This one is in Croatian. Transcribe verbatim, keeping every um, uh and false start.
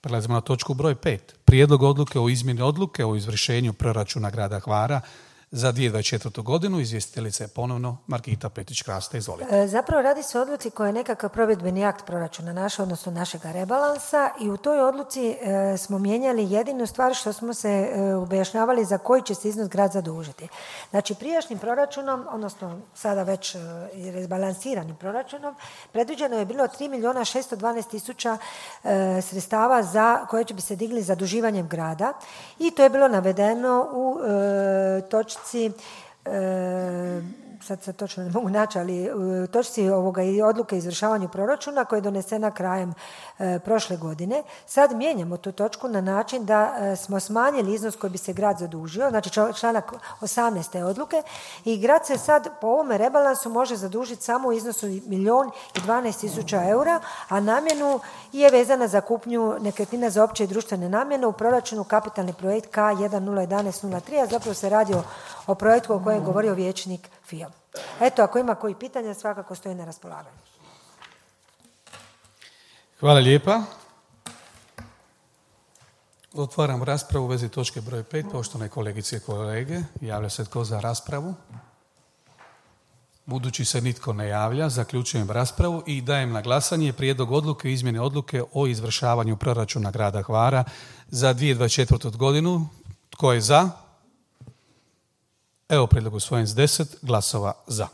Prelazimo na točku broj pet. Prijedlog odluke o izmjeni odluke o izvršenju proračuna grada Hvara za dvije tisuće dvadeset četvrtu. godinu. Izvjestiteljica je ponovno Margita Petrić-Krasta. Izvolite. E, zapravo radi se o odluci koja je nekakav provedbeni akt proračuna naša, odnosno našega rebalansa, i u toj odluci e, smo mijenjali jedinu stvar što smo se e, objašnjavali za koji će se iznos grad zadužiti. Znači, prijašnjim proračunom, odnosno sada već e, rebalansiranim proračunom, predviđeno je bilo tri milijuna šesto dvanaest tisuća e, sredstava za koje će bi se digli zaduživanjem grada, i to je bilo navedeno u e, točci E, sad se točno ne mogu naći, ali u točci ovoga i odluke o izvršavanju proračuna koja je donesena krajem e, prošle godine. Sad mijenjamo tu točku na način da e, smo smanjili iznos koji bi se grad zadužio, znači članak osamnaest odluke, i grad se sad po ovome rebalansu može zadužiti samo u iznosu milijun i dvanaest tisuća eura, a namjenu je vezana za kupnju nekretnina za opće i društvene namjene u proračunu kapitalni projekt K jedan nula jedan nula tri, a zapravo se radi o, o projektu o kojem je govorio vijećnik Fio. Eto, ako ima koji pitanja, svakako stoji na raspolaganju. Hvala lijepa. Otvaram raspravu u vezi točke broj pet. Poštovane kolegice i kolege, javlja se tko za raspravu? Budući se nitko ne javlja, zaključujem raspravu i dajem na glasanje prijedlog odluke o izmjeni odluke o izvršavanju proračuna grada Hvara za dvije tisuće dvadeset četvrtu. godinu. Tko je za? Evo prijedlog usvojen s deset glasova za.